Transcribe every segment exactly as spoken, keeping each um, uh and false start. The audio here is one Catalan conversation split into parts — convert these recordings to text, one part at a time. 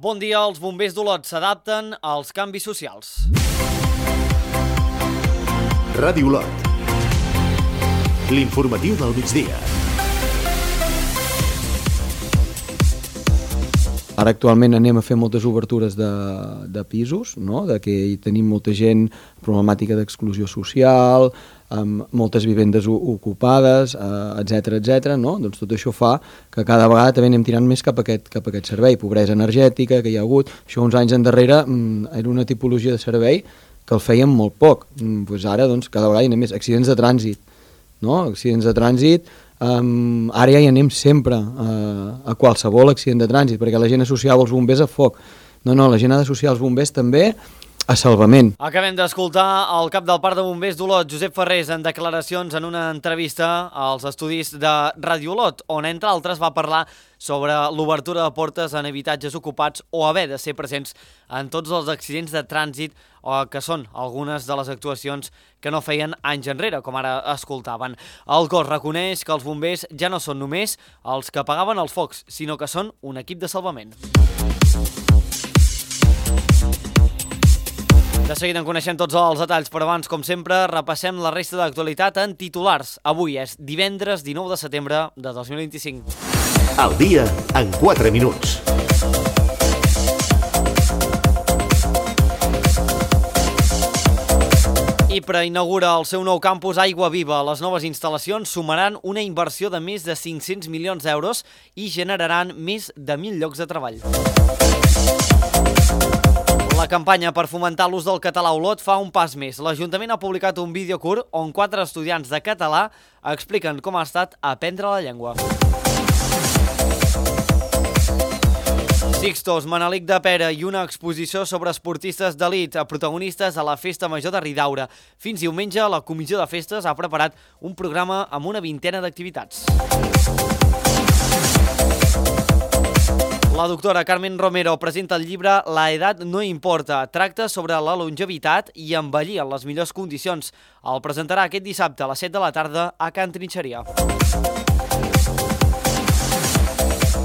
Bon dia, els bombers d'Olot s'adapten als canvis socials. Ràdio Olot. L'informatiu del migdia. Ara actualment anem a fer moltes obertures de, de pisos, no? De que hi tenim molta gent problemàtica d'exclusió social, amb moltes vivendes ocupades, etcètera, etcètera, no? Doncs tot això fa que cada vegada també anem tirant més cap a aquest, cap a aquest servei. Pobresa energètica que hi ha hagut, això uns anys endarrere era una tipologia de servei que el fèiem molt poc. Pues ara doncs, cada vegada hi anem més. Accidents de trànsit, no? Accidents de trànsit, um, ara ja hi anem sempre uh, a qualsevol accident de trànsit, perquè la gent associava els bombers a foc. No, no, la gent ha d'associar els bombers també a salvament. Acabem d'escoltar el cap del Parc de Bombers d'Olot, Josep Ferrés, en declaracions en una entrevista als estudis de Ràdio Olot, on entre altres va parlar sobre l'obertura de portes en habitatges ocupats o haver de ser presents en tots els accidents de trànsit, que són algunes de les actuacions que no feien anys enrere, com ara escoltaven. El cos reconeix que els bombers ja no són només els que apagaven els focs, sinó que són un equip de salvament. De seguida en coneixem tots els detalls, però abans, com sempre, repassem la resta d'actualitat en titulars. Avui és divendres dinou de setembre de dos mil vint-i-cinc. El dia en quatre minuts. Ipra inaugura el seu nou campus Aigua Viva. Les noves instal·lacions sumaran una inversió de més de cinc-cents milions d'euros i generaran més de mil llocs de treball. La campanya per fomentar l'ús del català a Olot fa un pas més. L'Ajuntament ha publicat un vídeo curt on quatre estudiants de català expliquen com ha estat aprendre la llengua. Sixtos, Manelic de Pera i una exposició sobre esportistes d'elit protagonistes a la Festa Major de Ridaura. Fins diumenge, la Comissió de Festes ha preparat un programa amb una vintena d'activitats. La doctora Carmen Romero presenta el llibre La edat no importa. Tracta sobre la longevitat i envellir en les millors condicions. El presentarà aquest dissabte a les set de la tarda a Can Trinxeria.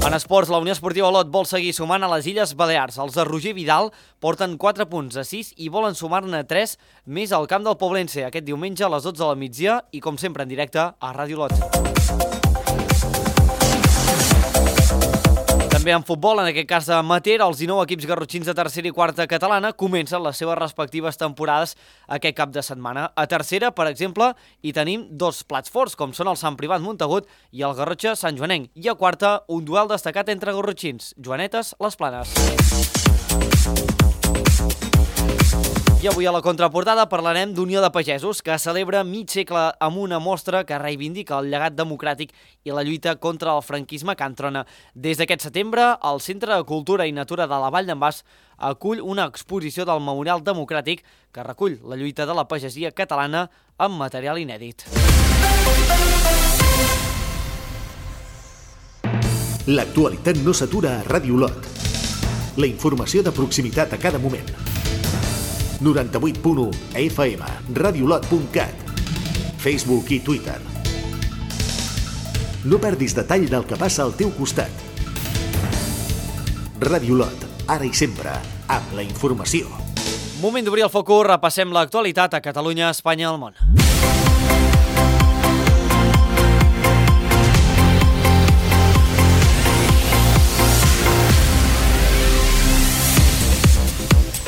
En esports, la Unió Esportiva Olot vol seguir sumant a les Illes Balears. Els de Roger Vidal porten quatre punts a sis i volen sumar-ne tres més al camp del Poblense aquest diumenge a les dotze de la migdia i, com sempre, en directe a Ràdio Olot. També en futbol, en aquest cas amateur, els dinou equips garrotxins de tercera i quarta catalana comencen les seves respectives temporades aquest cap de setmana. A tercera, per exemple, hi tenim dos plats forts, com són el Sant Privat Montagut i el Garrotxa Sant Joanenc. I a quarta, un duel destacat entre garrotxins, Joanetes Les Planes. I avui a la contraportada parlarem d'Unió de Pagesos, que celebra mig segle amb una mostra que reivindica el llegat democràtic i la lluita contra el franquisme que entrona. Des d'aquest setembre, el Centre de Cultura i Natura de la Vall d'en Bas acull una exposició del Memorial Democràtic que recull la lluita de la pagesia catalana amb material inèdit. L'actualitat no s'atura a Ràdio Olot. La informació de proximitat a cada moment. noranta-vuit punt u F M, radiolot punt cat, Facebook i Twitter. No perdis detall del que passa al teu costat. Ràdio Olot, ara i sempre, amb la informació. Moment d'obrir el focus, repassem l'actualitat a Catalunya, Espanya i el món.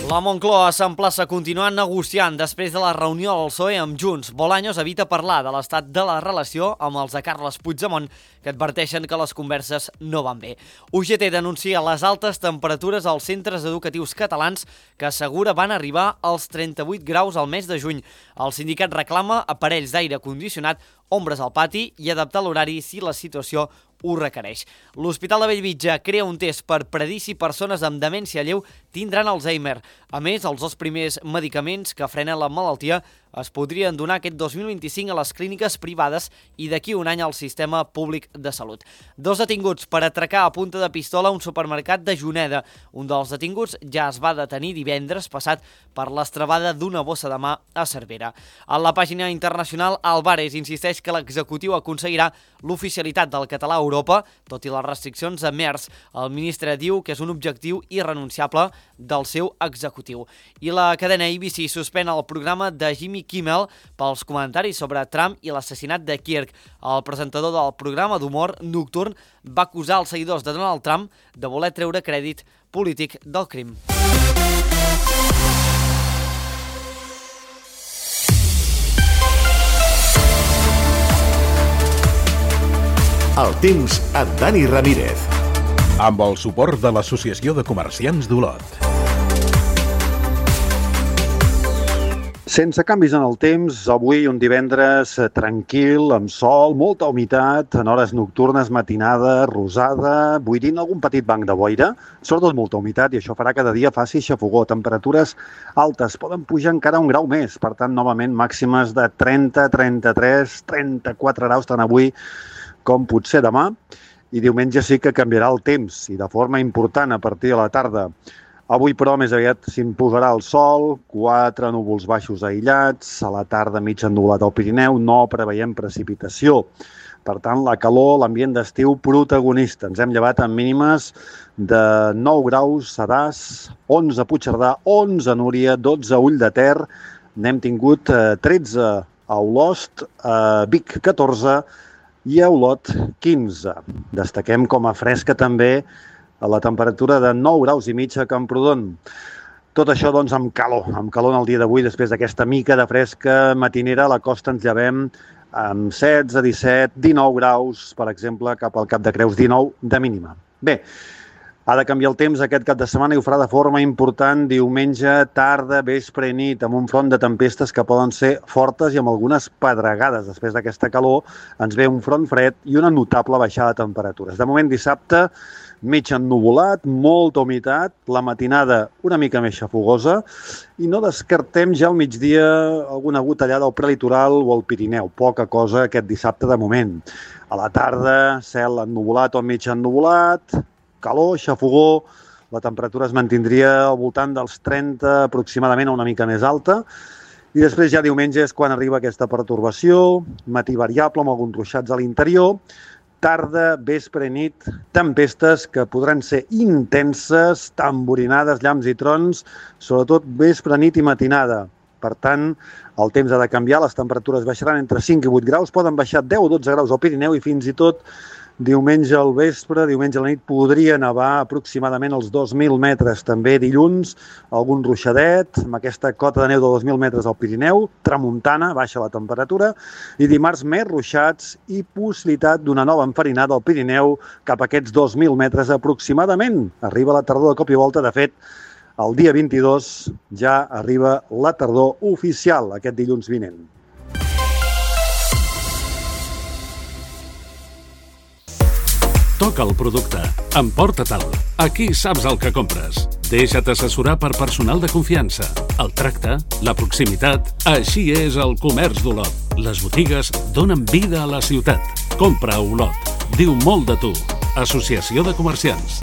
La Moncloa s'emplaça a continuar negociant després de la reunió del P S O E amb Junts. Bolaños evita parlar de l'estat de la relació amb els de Carles Puigdemont, que adverteixen que les converses no van bé. U G T denuncia les altes temperatures als centres educatius catalans, que assegura van arribar als trenta-vuit graus al mes de juny. El sindicat reclama aparells d'aire condicionat, ombres al pati i adaptar l'horari si la situació ho requereix. L'Hospital de Bellvitge crea un test per predir si persones amb demència lleu tindran Alzheimer. A més, els dos primers medicaments que frenen la malaltia es podrien donar aquest dos mil vint-i-cinc a les clíniques privades i d'aquí un any al sistema públic de salut. Dos detinguts per atracar a punta de pistola un supermercat de Juneda. Un dels detinguts ja es va detenir divendres passat per l'estrabada d'una bossa de mà a Cervera. A la pàgina internacional, Álvarez insisteix que l'executiu aconseguirà l'oficialitat del català a Europa, tot i les restriccions a MERS. El ministre diu que és un objectiu irrenunciable del seu executiu. I la cadena A B C suspèn el programa de Jimmy Kimmel pels comentaris sobre Trump i l'assassinat de Kirk. El presentador del programa d'humor nocturn va acusar els seguidors de Donald Trump de voler treure crèdit polític del crim. El temps amb Dani Ramírez. Amb el suport de l'Associació de Comerciants d'Olot. Sense canvis en el temps, avui un divendres tranquil, amb sol, molta humitat, en hores nocturnes, matinada, rosada, buidint algun petit banc de boira, sobretot molta humitat, i això farà que cada dia faci xafogó. Temperatures altes, poden pujar encara un grau més, per tant, novament màximes de trenta, trenta-tres, trenta-quatre graus, tant avui com potser demà, i diumenge sí que canviarà el temps, i de forma important a partir de la tarda. Avui, però, més aviat s'imposarà el sol, quatre núvols baixos aïllats, a la tarda mig ennuvolat al Pirineu, no preveiem precipitació. Per tant, la calor, l'ambient d'estiu protagonista. Ens hem llevat amb mínimes de nou graus a Das, onze a Puigcerdà, onze a Núria, dotze a Ull de Ter, n'hem tingut tretze a Olost, a Vic catorze i a Olot quinze. Destaquem com a fresca també a la temperatura de nou graus i mig a Camprodon. Tot això, doncs, amb calor. Amb calor en el dia d'avui, després d'aquesta mica de fresca matinera, a la costa ens llevem amb setze, disset, dinou graus, per exemple, cap al Cap de Creus, dinou de mínima. Bé, ha de canviar el temps aquest cap de setmana i ho farà de forma important diumenge, tarda, vespre i nit, amb un front de tempestes que poden ser fortes i amb algunes pedregades. Després d'aquesta calor ens ve un front fred i una notable baixada de temperatures. De moment, dissabte, mig ennuvolat, molta humitat, la matinada una mica més xafogosa i no descartem ja al migdia alguna gotellada al prelitoral o al Pirineu. Poca cosa aquest dissabte de moment. A la tarda, cel ennuvolat o mig ennuvolat, calor, xafogó, la temperatura es mantindria al voltant dels trenta aproximadament, una mica més alta, i després ja diumenge és quan arriba aquesta pertorbació, matí variable amb alguns ruixats a l'interior, tarda, vespre i nit, tempestes que podran ser intenses, tamborinades, llamps i trons, sobretot vespre, nit i matinada. Per tant, el temps ha de canviar, les temperatures baixaran entre cinc i vuit graus, poden baixar deu o dotze graus al Pirineu i fins i tot diumenge al vespre, diumenge a la nit, podria nevar aproximadament els dos mil metres. També dilluns, algun ruixadet, amb aquesta cota de neu de dos mil metres al Pirineu, tramuntana, baixa la temperatura, i dimarts més ruixats i possibilitat d'una nova enfarinada al Pirineu cap a aquests dos mil metres aproximadament. Arriba la tardor de cop i volta, de fet, el dia vint-i-dos ja arriba la tardor oficial, aquest dilluns vinent. Toca el producte. Emporta-te'l. Aquí saps el que compres. Deixa't assessorar per personal de confiança. El tracte, la proximitat... Així és el comerç d'Olot. Les botigues donen vida a la ciutat. Compra a Olot. Diu molt de tu. Associació de Comerciants.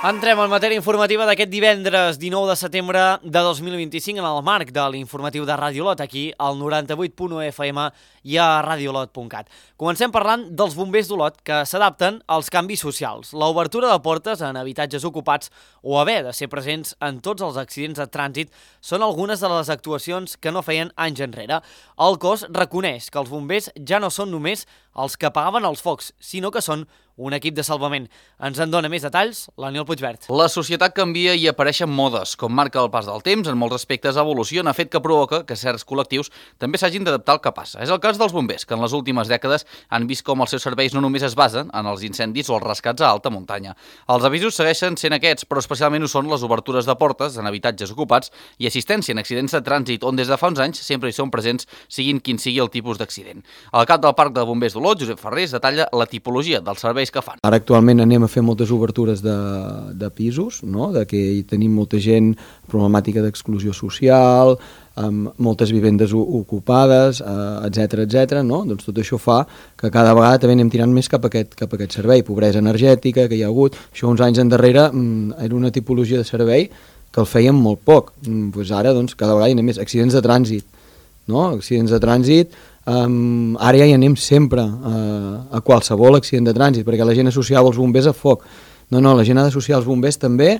Entrem en matèria informativa d'aquest divendres dinou de setembre de dos mil vint-i-cinc en el marc de l'informatiu de Ràdio Olot, aquí al noranta-vuit punt u F M i a radiolot punt cat. Comencem parlant dels bombers d'Olot que s'adapten als canvis socials. L'obertura de portes en habitatges ocupats o haver de ser presents en tots els accidents de trànsit són algunes de les actuacions que no feien anys enrere. El cos reconeix que els bombers ja no són només els que apagaven els focs, sinó que són un equip de salvament. Ens en dona més detalls l'Aniol Puigvert. La societat canvia i apareixen modes. Com marca el pas del temps, en molts aspectes evoluciona, fet que provoca que certs col·lectius també s'hagin d'adaptar al que passa. És el cas dels bombers, que en les últimes dècades han vist com els seus serveis no només es basen en els incendis o els rescats a alta muntanya. Els avisos segueixen sent aquests, però especialment ho són les obertures de portes en habitatges ocupats i assistència en accidents de trànsit, on des de fa uns anys sempre hi són presents, siguin quin sigui el tipus d'accident. El cap del Parc de Bombers d'Olot d'Olot, Josep Ferrés, detalla la tipologia dels serveis que fan. Ara actualment anem a fer moltes obertures de, de pisos, no? De que hi tenim molta gent problemàtica d'exclusió social, amb moltes vivendes ocupades, etcètera, etcètera, no? Doncs tot això fa que cada vegada també anem tirant més cap a aquest, cap a aquest servei. Pobresa energètica que hi ha hagut, això uns anys endarrere era una tipologia de servei que el fèiem molt poc. Pues ara doncs, cada vegada hi anem més. Accidents de trànsit, no? Accidents de trànsit, um, ara ja hi anem sempre uh, a qualsevol accident de trànsit, perquè la gent associava els bombers a foc. No, no, la gent ha d'associar els bombers també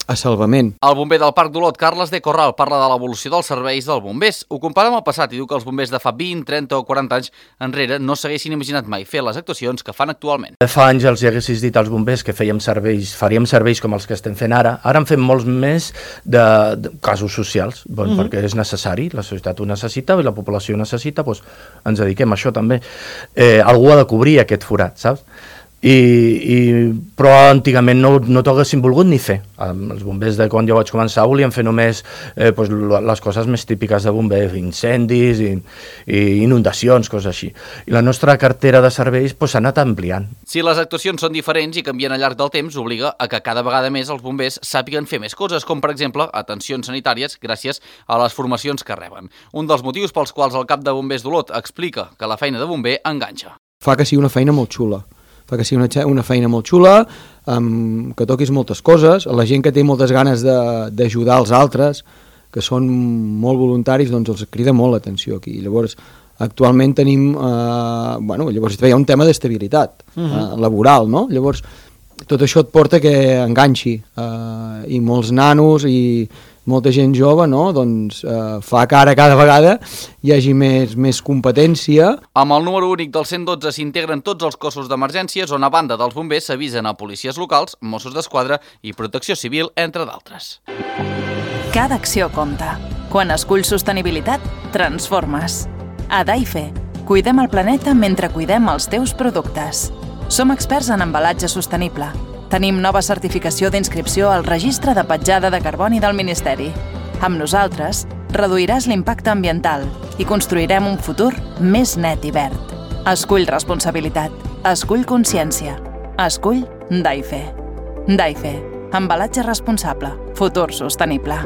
a salvament. El bomber del Parc d'Olot, Carles de Corral, parla de l'evolució dels serveis dels bombers. Ho compara amb el passat i diu que els bombers de fa vint, trenta o quaranta anys enrere no s'haguessin imaginat mai fer les actuacions que fan actualment. Fa anys els haguessis dit als bombers que fèiem serveis, faríem serveis com els que estem fent ara. Ara en fem molts més de, de casos socials, bon, mm-hmm. perquè és necessari, la societat ho necessita i la població ho necessita, doncs ens dediquem a això també. Eh, algú ha de cobrir aquest forat, saps? I, i, però antigament no, no t'ho haguessin volgut ni fer. Els bombers de quan jo vaig començar volien fer només eh, pues, les coses més típiques de bomber, incendis i, i inundacions, coses així. I la nostra cartera de serveis pues, s'ha anat ampliant. Si les actuacions són diferents i canvien al llarg del temps, obliga a que cada vegada més els bombers sàpiguen fer més coses, com per exemple atencions sanitàries gràcies a les formacions que reben. Un dels motius pels quals el cap de bombers d'Olot explica que la feina de bomber enganxa. Fa que sigui una feina molt xula. fa que sigui una, una feina molt xula, um, que toquis moltes coses, la gent que té moltes ganes d'ajudar els altres, que són molt voluntaris, doncs els crida molt l'atenció aquí. Llavors, actualment tenim, eh, bueno, llavors hi ha un tema d'estabilitat uh-huh. eh, laboral, no? Llavors, tot això et porta que enganxi, eh, i molts nanos i molta gent jove, no? Doncs eh, fa que ara cada vegada hi hagi més, més competència. Amb el número únic del cent dotze s'integren tots els cossos d'emergències on a banda dels bombers s'avisen a policies locals, Mossos d'Esquadra i Protecció Civil, entre d'altres. Cada acció compta. Quan esculls sostenibilitat, transformes. A Daife, cuidem el planeta mentre cuidem els teus productes. Som experts en embalatge sostenible. Tenim nova certificació d'inscripció al Registre de Petjada de Carboni del Ministeri. Amb nosaltres, reduiràs l'impacte ambiental i construirem un futur més net i verd. Escull responsabilitat. Escull consciència. Escull Daife. Daife. Embalatge responsable. Futur sostenible.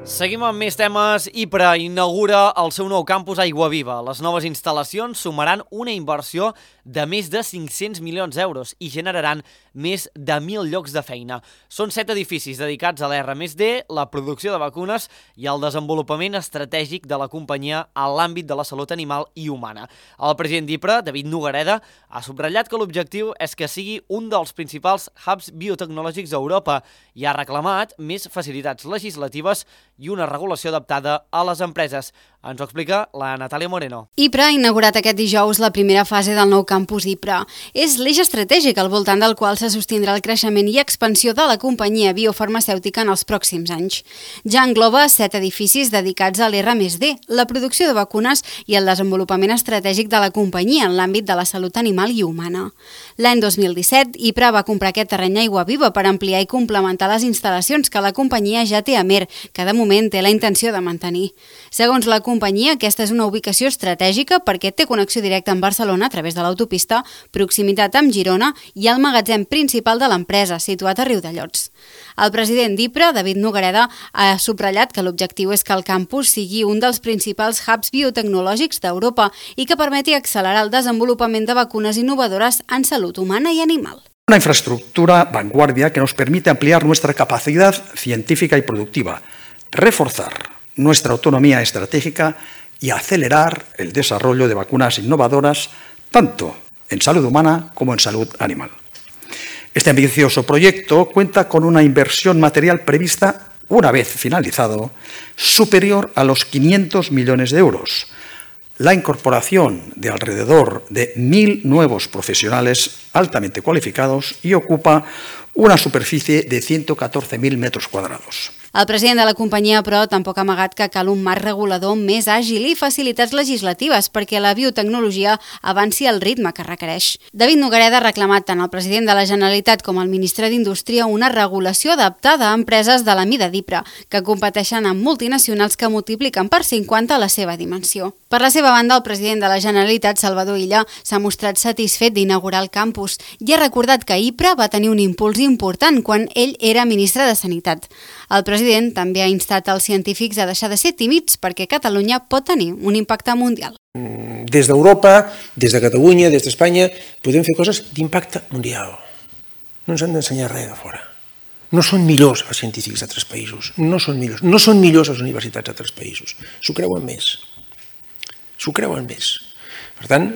Seguim amb més temes. Ypres inaugura el seu nou campus Aiguaviva. Les noves instal·lacions sumaran una inversió de més de cinc-cents milions d'euros i generaran més de mil llocs de feina. Són set edificis dedicats a l'R més D, la producció de vacunes i el desenvolupament estratègic de la companyia en l'àmbit de la salut animal i humana. El president d'Ypres, David Nogareda, ha subratllat que l'objectiu és que sigui un dels principals hubs biotecnològics d'Europa i ha reclamat més facilitats legislatives i una regulació adaptada a les empreses. Ens ho explica la Natàlia Moreno. Ypres ha inaugurat aquest dijous la primera fase del nou campus Ypres. És l'eix estratègic al voltant del qual se sostindrà el creixement i expansió de la companyia biofarmacèutica en els pròxims anys. Ja engloba set edificis dedicats a l'R més D, la producció de vacunes i el desenvolupament estratègic de la companyia en l'àmbit de la salut animal i humana. L'any dos mil disset, Ypres va comprar aquest terreny a Aiguaviva per ampliar i complementar les instal·lacions que la companyia ja té a Mer, que de moment té la intenció de mantenir. Segons la companyia, aquesta és una ubicació estratègica perquè té connexió directa amb Barcelona a través de l'autopista, proximitat amb Girona i el magatzem principal de l'empresa, situat a Riudellots. El president d'Ypres, David Nogareda, ha subratllat que l'objectiu és que el campus sigui un dels principals hubs biotecnològics d'Europa i que permeti accelerar el desenvolupament de vacunes innovadores en salut humana y animal. Una infraestructura vanguardia que nos permite ampliar nuestra capacidad científica y productiva, reforzar nuestra autonomía estratégica y acelerar el desarrollo de vacunas innovadoras tanto en salud humana como en salud animal. Este ambicioso proyecto cuenta con una inversión material prevista, una vez finalizado, superior a los quinientos millones de euros, la incorporación de alrededor de mil nuevos profesionales altamente cualificados y ocupa una superficie de ciento catorce mil metros cuadrados. El president de la companyia, però, tampoc ha amagat que cal un marc regulador més àgil i facilitats legislatives perquè la biotecnologia avanci al ritme que requereix. David Nogareda ha reclamat tant al president de la Generalitat com al ministre d'Indústria una regulació adaptada a empreses de la mida d'Ypres, que competeixen amb multinacionals que multipliquen per cinquanta la seva dimensió. Per Per la seva banda, el president de la Generalitat, Salvador Illa, s'ha mostrat satisfet d'inaugurar el campus i ha recordat que IPRA va tenir un impuls important quan ell era ministre de Sanitat. El president també ha instat als científics a deixar de ser tímids perquè Catalunya pot tenir un impacte mundial. Des d'Europa, des de Catalunya, des d'Espanya, podem fer coses d'impacte mundial. No ens han d'ensenyar res de fora. No són millors els científics d'altres països, no són millors. No són millors les universitats d'altres països. S'ho creuen més. S'ho creuen més. Per tant,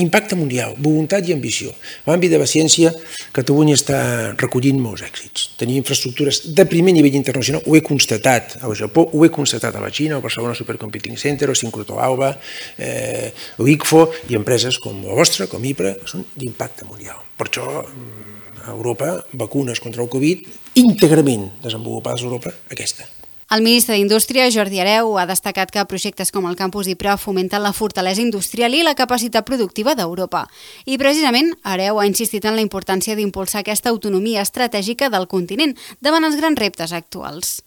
impacte mundial, voluntat i ambició. A l'àmbit de la ciència, Catalunya està recollint molts èxits. Tenim infraestructures de primer nivell internacional, ho he constatat al Japó, ho he constatat a la Xina, al Barcelona Supercomputing Center, el Sincrotró Alba, eh, l'I C F O i empreses com la vostra, com IPRA, són d'impacte mundial. Per això, a Europa, vacunes contra el Covid, íntegrament desenvolupades a Europa, aquesta. El ministre d'Indústria, Jordi Hereu, ha destacat que projectes com el campus IPRA fomenten la fortalesa industrial i la capacitat productiva d'Europa. I precisament, Hereu ha insistit en la importància d'impulsar aquesta autonomia estratègica del continent davant els grans reptes actuals.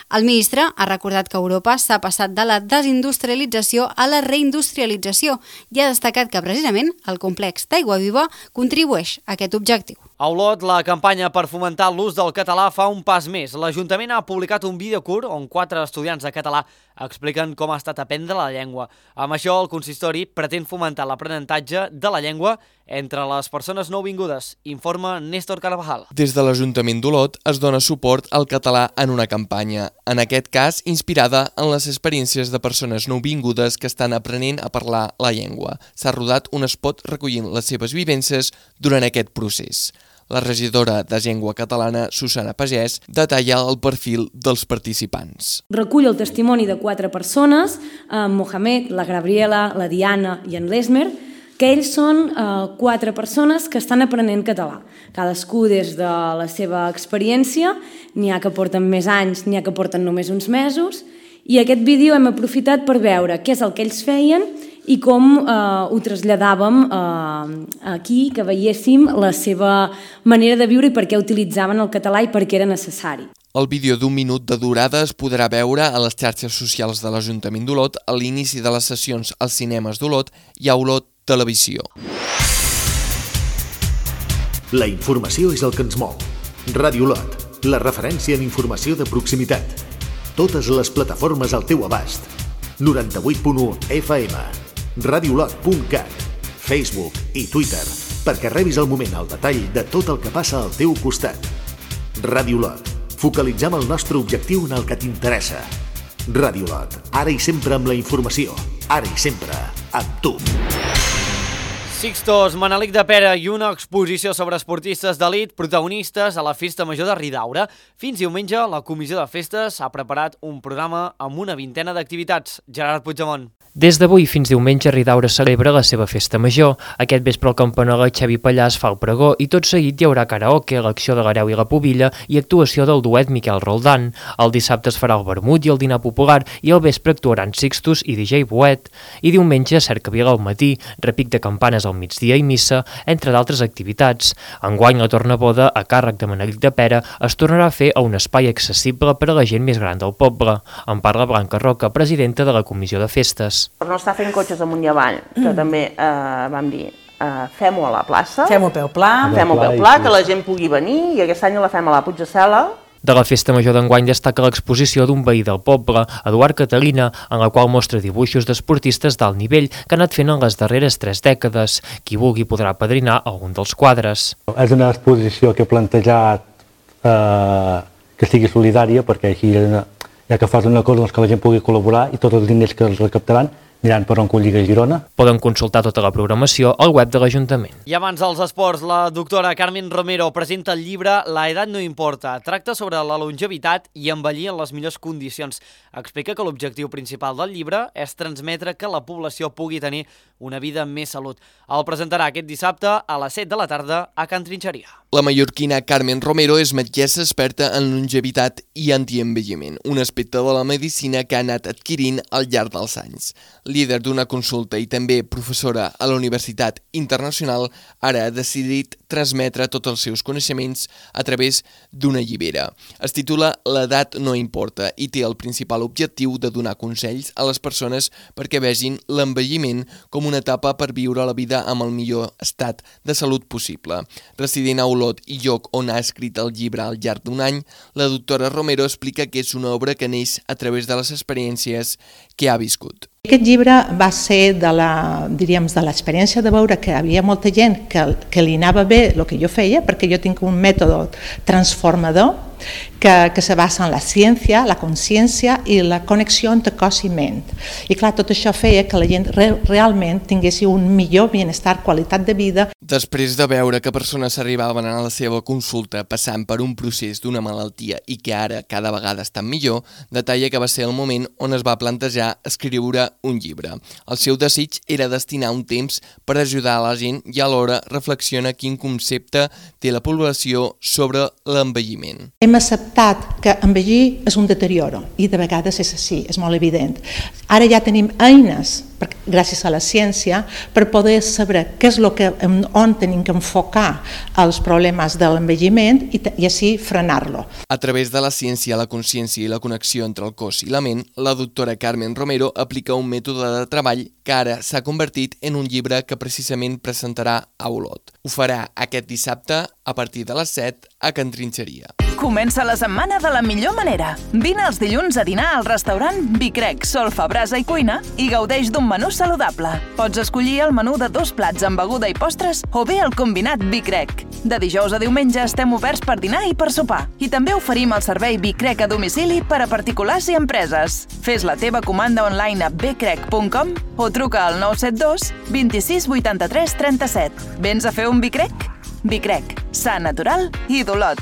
El ministre ha recordat que Europa s'ha passat de la desindustrialització a la reindustrialització i ha destacat que precisament el complex d'Aigua Viva contribueix a aquest objectiu. A Olot, la campanya per fomentar l'ús del català fa un pas més. L'Ajuntament ha publicat un vídeo curt on quatre estudiants de català expliquen com ha estat aprendre la llengua. Amb això, el consistori pretén fomentar l'aprenentatge de la llengua entre les persones nouvingudes, informa Néstor Carvajal. Des de l'Ajuntament d'Olot es dona suport al català en una campanya, en aquest cas inspirada en les experiències de persones nouvingudes que estan aprenent a parlar la llengua. S'ha rodat un spot recollint les seves vivències durant aquest procés. La regidora de Llengua Catalana, Susana Pagès, detalla el perfil dels participants. Recull el testimoni de quatre persones, en Mohamed, la Gabriela, la Diana i en Lesmer, que ells són eh, quatre persones que estan aprenent català. Cadascú des de la seva experiència, n'hi ha que porten més anys, n'hi ha que porten només uns mesos, i aquest vídeo hem aprofitat per veure què és el que ells feien i com eh, ho traslladàvem eh, aquí, que veiéssim la seva manera de viure i per què utilitzaven el català i per què era necessari. El vídeo d'un minut de durada es podrà veure a les xarxes socials de l'Ajuntament d'Olot a l'inici de les sessions als cinemes d'Olot i a Olot Televisió. La informació és el que ens mou. Ràdio Olot, la referència en informació de proximitat. Totes les plataformes al teu abast. noranta-vuit punt u F M, radiolot punt cat, Facebook i Twitter, perquè rebis al moment el detall de tot el que passa al teu costat. Ràdio Olot, focalitzem el nostre objectiu en el que t'interessa. Ràdio Olot, ara i sempre amb la informació, ara i sempre amb tu. Sixtos, Manelic de Pera i una exposició sobre esportistes d'elit protagonistes a la Festa Major de Ridaura. Fins diumenge, la Comissió de Festes ha preparat un programa amb una vintena d'activitats. Gerard Puigdemont. Des d'avui fins diumenge, Ridaura celebra la seva festa major. Aquest vespre el campanar Xavi Pallàs fa el pregó i tot seguit hi haurà karaoke, l'acció de l'Hereu i la Pubilla i actuació del duet Miquel Roldán. El dissabte es farà el vermut i el dinar popular i al vespre actuaran Sixtus i D J Boet. I diumenge, cercavila al matí, repic de campanes al migdia i missa, entre d'altres activitats. Enguany, la tornaboda, a càrrec de Manelic de Pera, es tornarà a fer a un espai accessible per a la gent més gran del poble. En parla Blanca Roca, presidenta de la Comissió de Festes. Per no estar fent cotxes amunt i avall, que mm. també eh, vam dir, eh, fem-ho a la plaça. Fem-ho a peu pla. Fem-ho a peu pla, que la gent pugui venir, i aquest any la fem a la Puigdecela. De la Festa Major d'enguany destaca l'exposició d'un veí del poble, Eduard Catalina, en la qual mostra dibuixos d'esportistes d'alt nivell que ha anat fent en les darreres tres dècades. Qui vulgui podrà padrinar algun dels quadres. És una exposició que he plantejat eh, que sigui solidària, perquè així ja que fas una cosa doncs que la gent pugui col·laborar i tots els diners que els recaptaran aniran per on Lliga Girona. Poden consultar tota la programació al web de l'Ajuntament. I abans dels esports, la doctora Carmen Romero presenta el llibre La edat no importa. Tracta sobre la longevitat i envellir en les millors condicions. Explica que l'objectiu principal del llibre és transmetre que la població pugui tenir una vida amb més salut. El presentarà aquest dissabte a les set de la tarda a Can Trinxeria. La mallorquina Carmen Romero és metgessa experta en longevitat i antienvelliment, un aspecte de la medicina que ha anat adquirint al llarg dels anys. Líder d'una consulta i també professora a la Universitat Internacional, ara ha decidit transmetre tots els seus coneixements a través d'una llibera. Es titula L'edat no importa i té el principal objectiu de donar consells a les persones perquè vegin l'envelliment com una etapa per viure la vida amb el millor estat de salut possible. Resident a Olot i lloc on ha escrit el llibre al llarg d'un any, la doctora Romero explica que és una obra que neix a través de les experiències que ha viscut. Aquest llibre va ser de la, diríem, de l'experiència de veure que hi havia molta gent que, que li anava bé el que jo feia, perquè jo tinc un mètode transformador que, que se basa en la ciència, la consciència i la connexió entre cos i ment. I clar, tot això feia que la gent re, realment tingués un millor benestar, qualitat de vida. Després de veure que persones arribaven a la seva consulta passant per un procés d'una malaltia i que ara cada vegada estan millor, detalla que va ser el moment on es va plantejar escriure un llibre. El seu desig era destinar un temps per ajudar a la gent i alhora reflexiona quin concepte té la població sobre l'envelliment. Hem acceptat que envellir és un deterioro i de vegades és així, és molt evident. Ara ja tenim eines, gràcies a la ciència, per poder saber què és el que, on tenim que enfocar els problemes de l'envelliment i, i així frenar-lo. A través de la ciència, la consciència i la connexió entre el cos i la ment, la doctora Carmen Romero aplica un mètode de treball que ara s'ha convertit en un llibre que precisament presentarà a Olot. Ho farà aquest dissabte a partir de les set a Can Trinxeria. Comença la setmana de la millor manera. Vine els dilluns a dinar al restaurant Vicrec, Solfa, Brasa i Cuina i gaudeix d'un menú saludable. Pots escollir el menú de dos plats amb beguda i postres o bé el combinat Vicrec. De dijous a diumenge estem oberts per dinar i per sopar. I també oferim el servei Vicrec a domicili per a particulars i empreses. Fes la teva comanda online a becrec punt com o truca al nou set dos, vint-i-sis, vuitanta-tres, trenta-set. Vens a fer un Vicrec? Vicrec, sa natural i d'Olot.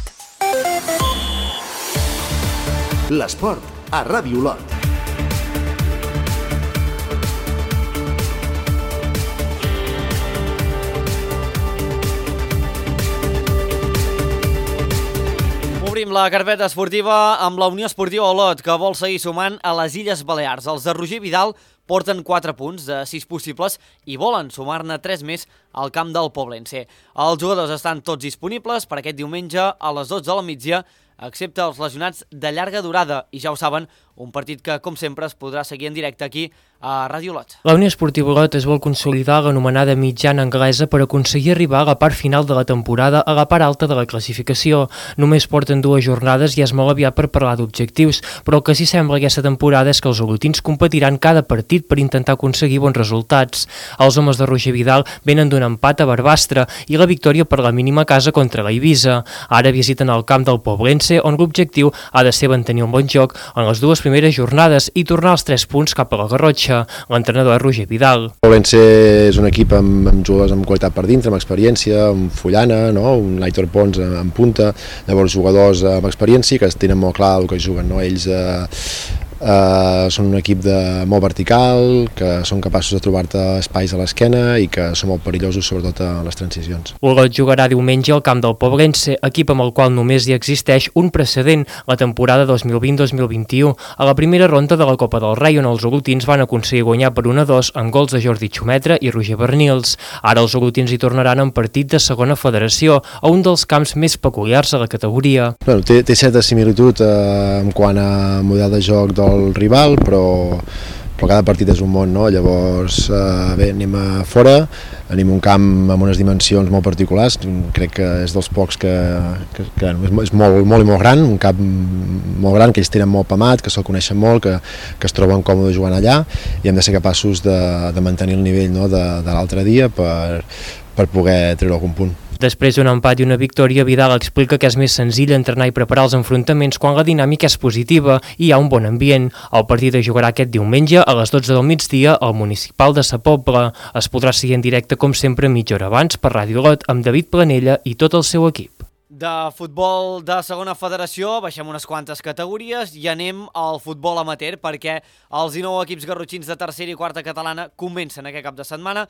L'esport a Ràdio Olot. Obrim la carpeta esportiva amb la Unió Esportiva Olot, que vol seguir sumant a les Illes Balears. Els de Roger Vidal porten quatre punts de sis possibles i volen sumar-ne tres més al camp del Poblense. Els jugadors estan tots disponibles per aquest diumenge a les dotze del migdia, excepte els lesionats de llarga durada. I ja ho saben, un partit que, com sempre, es podrà seguir en directe aquí a Ràdio Olot. La Unió Esportiva Olot es vol consolidar l'anomenada mitjana anglesa per aconseguir arribar a la part final de la temporada a la part alta de la classificació. Només porten dues jornades i és molt aviat per parlar d'objectius, però el que sí sembla aquesta temporada és que els olotins competiran cada partit per intentar aconseguir bons resultats. Els homes de Roger Vidal venen d'un empat a Barbastre i la victòria per la mínima casa contra la Eivissa. Ara visiten el camp del Poblense, on l'objectiu ha de ser mantenir un bon joc en les dues primeres jornades i tornar els tres punts cap a la Garrotxa. L'entrenador és Roger Vidal. Poblense és un equip amb, amb jugadors amb qualitat per dintre, amb experiència, amb Fullana, no? Un Laitor Pons en punta, llavors jugadors amb experiència que tenen molt clar el que juguen, no? Ells eh, Uh, són un equip de, molt vertical, que són capaços de trobar-te espais a l'esquena i que són molt perillosos, sobretot a les transicions. Olot jugarà diumenge al camp del Poblense, equip amb el qual només hi existeix un precedent, la temporada dos mil vint dos mil vint-i-u, a la primera ronda de la Copa del Rei, on els olotins van aconseguir guanyar per un a dos amb gols de Jordi Xumetra i Roger Bernils. Ara els olotins hi tornaran en partit de segona federació, a un dels camps més peculiars a la categoria. Bueno, té, té certa similitud eh, en quant a model de joc del el rival, però, però cada partit és un món, no? Llavors, eh, bé, anem a fora, anem a un camp amb unes dimensions molt particulars, crec que és dels pocs que, que, que és molt, molt i molt gran, un camp molt gran, que ells tenen molt pamat, que se'l coneixen molt, que, que es troben còmodes jugant allà, i hem de ser capaços de, de mantenir el nivell, no? de, de l'altre dia per, per poder treure algun punt. Després d'un empat i una victòria, Vidal explica que és més senzill entrenar i preparar els enfrontaments quan la dinàmica és positiva i hi ha un bon ambient. El partit es jugarà aquest diumenge a les dotze del migdia al municipal de Sa Pobla. Es podrà seguir en directe, com sempre, mitja hora abans per Ràdio Olot amb David Planella i tot el seu equip. De futbol de segona federació baixem unes quantes categories i anem al futbol amateur perquè els dinou equips garrotxins de tercera i quarta catalana comencen aquest cap de setmana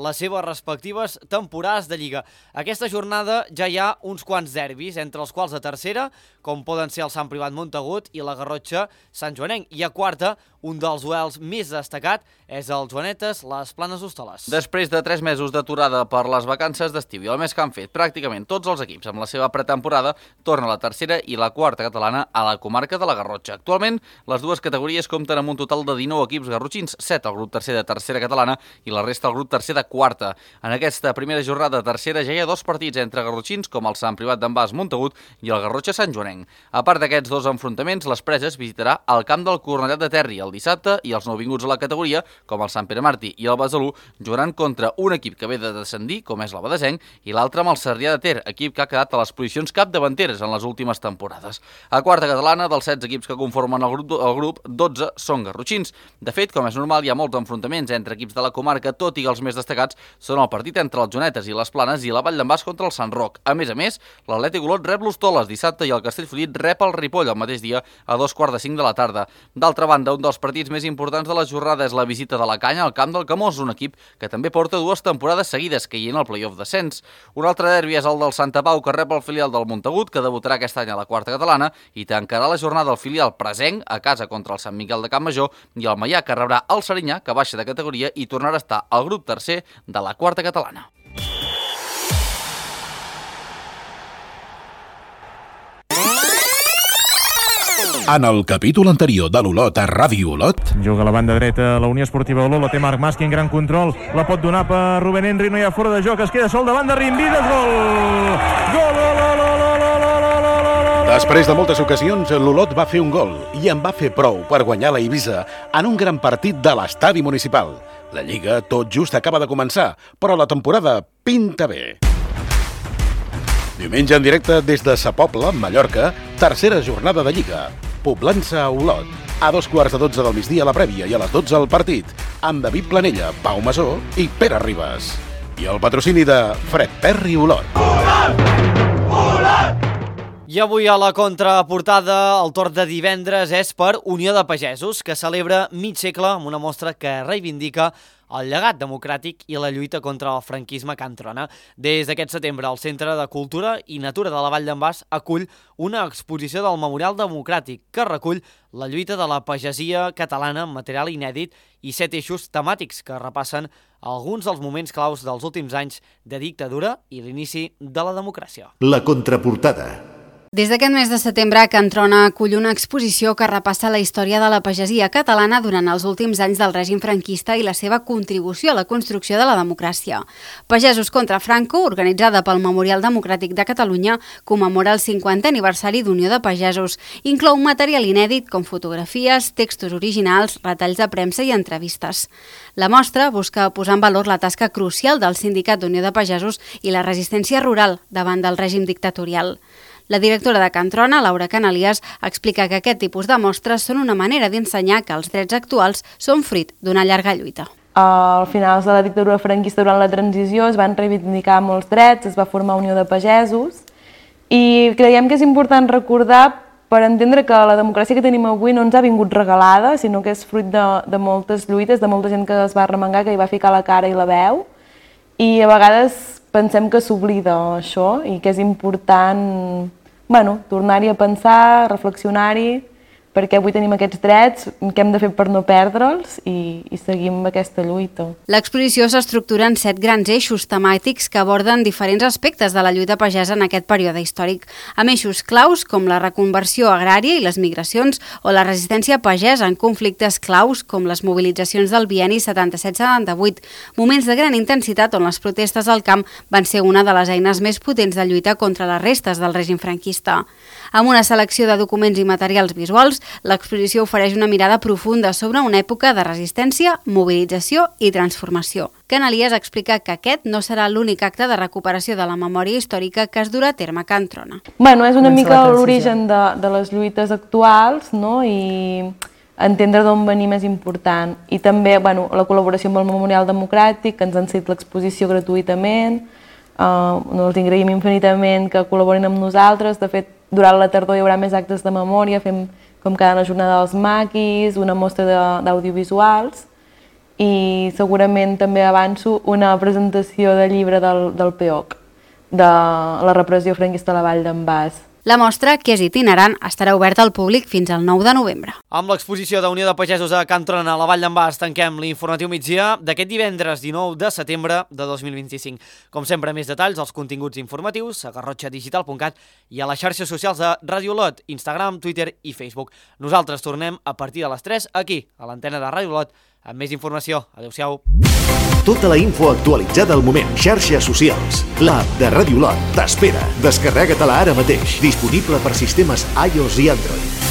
les seves respectives temporades de Lliga. Aquesta jornada ja hi ha uns quants derbis, entre els quals de tercera, com poden ser el Sant Privat Montagut i la Garrotxa Sant Joanenc. I a quarta, un dels duels més destacat és el Joanetes Les Planes Hostoles. Després de tres mesos d'aturada per les vacances d'estiu i el mes que han fet pràcticament tots els equips amb la seva pretemporada, torna la tercera i la quarta catalana a la comarca de la Garrotxa. Actualment, les dues categories compten amb un total de dinou equips garrotxins, set al grup tercer de tercera catalana i la resta al grup tercer de quarta. En aquesta primera jornada de tercera ja hi ha dos partits entre garrotxins, com el Sant Privat d'en Bas Montagut i el Garrotxa Sant Joanenc. A part d'aquests dos enfrontaments, les Preses visitarà el camp del Cornellat de Terri el dissabte i els nouvinguts a la categoria, com el Sant Pere Martí i el Besalú, jugaran contra un equip que ve de descendir, com és el Badesenc, i l'altre amb el Sarrià de Ter, equip que ha quedat a les posicions capdavanteres en les últimes temporades. A quarta catalana, dels setze equips que conformen el grup, el grup, dotze són garrotxins. De fet, com és normal, hi ha molts enfrontaments entre equips de la comarca, tot i que els més destacats són el partit entre els Joanetes i les Planes i la Vall d'en Bas contra el Sant Roc. A més a més, l'Atlètic Olot rep l'Hostoles dissabte i el Castellfollit rep el Ripoll el mateix dia a dos quarts de cinc de la tarda. D'altra banda, un dels partits més importants de la jornada és la visita de la Canya al camp del Camós, un equip que també porta dues temporades seguides caient al play-off descens. Un altre derbi és el del Santa Pau, que rep el filial del Montagut, que debutarà aquest any a la quarta catalana, i tancarà la jornada el filial presenc a casa contra el Sant Miquel de Campmajor, i el Maià, que rebrà el Serinyà, que baixa de categoria i tornarà a estar al grup tercer de la quarta catalana. En el capítol anterior de l'Olot a Ràdio Olot... Juga a la banda dreta la Unió Esportiva Olot, la té Marc Masqui en gran control, la pot donar per Rubén Henry, no hi ha fora de joc, es queda sol davant de Rimbides, gol! Gol, gol, gol, gol, gol, gol, gol! Després de moltes ocasions, l'Olot va fer un gol i en va fer prou per guanyar la Eivissa en un gran partit de l'estadi municipal. La Lliga tot just acaba de començar, però la temporada pinta bé. Diumenge en directe des de Sa Pobla, Mallorca, tercera jornada de Lliga. Poblança a Olot. A dos quarts de dotze del migdia a la prèvia i a les dotze al partit, amb David Planella, Pau Masó i Pere Ribas. I el patrocini de Fred Perry Olot. Olot! Olot! I avui a la contraportada el torn de divendres és per Unió de Pagesos, que celebra mig segle amb una mostra que reivindica el llegat democràtic i la lluita contra el franquisme que entrona. Des d'aquest setembre, el Centre de Cultura i Natura de la Vall d'en Bas acull una exposició del Memorial Democràtic que recull la lluita de la pagesia catalana amb material inèdit i set eixos temàtics que repassen alguns dels moments claus dels últims anys de dictadura i l'inici de la democràcia. La contraportada. Des d'aquest mes de setembre, Can Trona acull una exposició que repassa la història de la pagesia catalana durant els últims anys del règim franquista i la seva contribució a la construcció de la democràcia. Pagesos contra Franco, organitzada pel Memorial Democràtic de Catalunya, commemora el cinquantè aniversari d'Unió de Pagesos. Inclou material inèdit com fotografies, textos originals, retalls de premsa i entrevistes. La mostra busca posar en valor la tasca crucial del Sindicat d'Unió de Pagesos i la resistència rural davant del règim dictatorial. La directora de Can Trona, Laura Canalias, explica que aquest tipus de mostres són una manera d'ensenyar que els drets actuals són fruit d'una llarga lluita. Al finals de la dictadura franquista durant la transició es van reivindicar molts drets, es va formar Unió de Pagesos i creiem que és important recordar per entendre que la democràcia que tenim avui no ens ha vingut regalada, sinó que és fruit de, de moltes lluites, de molta gent que es va arremangar, que hi va ficar la cara i la veu, i a vegades pensem que s'oblida això i que és important, bueno, tornar-hi a pensar, reflexionar-hi, perquè avui tenim aquests drets, què hem de fer per no perdre'ls i, i seguim aquesta lluita. L'exposició s'estructura en set grans eixos temàtics que aborden diferents aspectes de la lluita pagesa en aquest període històric, amb eixos claus com la reconversió agrària i les migracions o la resistència pagesa en conflictes claus com les mobilitzacions del bienni setanta-set setanta-vuit, moments de gran intensitat on les protestes al camp van ser una de les eines més potents de lluita contra les restes del règim franquista. Amb una selecció de documents i materials visuals, l'exposició ofereix una mirada profunda sobre una època de resistència, mobilització i transformació. Canalias explica que aquest no serà l'únic acte de recuperació de la memòria històrica que es durà a terme a Can Trona. Bueno, és una mica l'origen de, de les lluites actuals, no? I entendre d'on venim és important. I també bueno, la col·laboració amb el Memorial Democràtic, que ens han cedit l'exposició gratuïtament, Uh, els agraïm infinitament que col·laborin amb nosaltres. De fet, durant la tardor hi haurà més actes de memòria, fem com cada la jornada dels maquis, una mostra d'audiovisuals i segurament també avanço una presentació de llibre del, del P O C, de la repressió franquista a la Vall d'en Bas. La mostra, que és itinerant, estarà oberta al públic fins al nou de novembre. Amb l'exposició de Unió de Pagesos a Can Trona, a la Vall d'en Bas, tanquem l'informatiu migdia d'aquest divendres dinou de setembre de dos mil vint-i-cinc. Com sempre, més detalls als continguts informatius a garrotxa digital punt cat i a les xarxes socials de Ràdio Olot, Instagram, Twitter i Facebook. Nosaltres tornem a partir de les tres aquí, a l'antena de Ràdio Olot, amb més informació. Adéu-siau. Tota la info actualitzada al moment. Xarxes socials. L'app de Ràdio Olot t'espera. Descarrega-te-la ara mateix. Disponible per sistemes iOS i Android.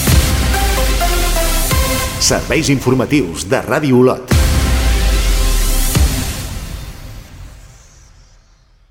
Serveis informatius de Ràdio Olot.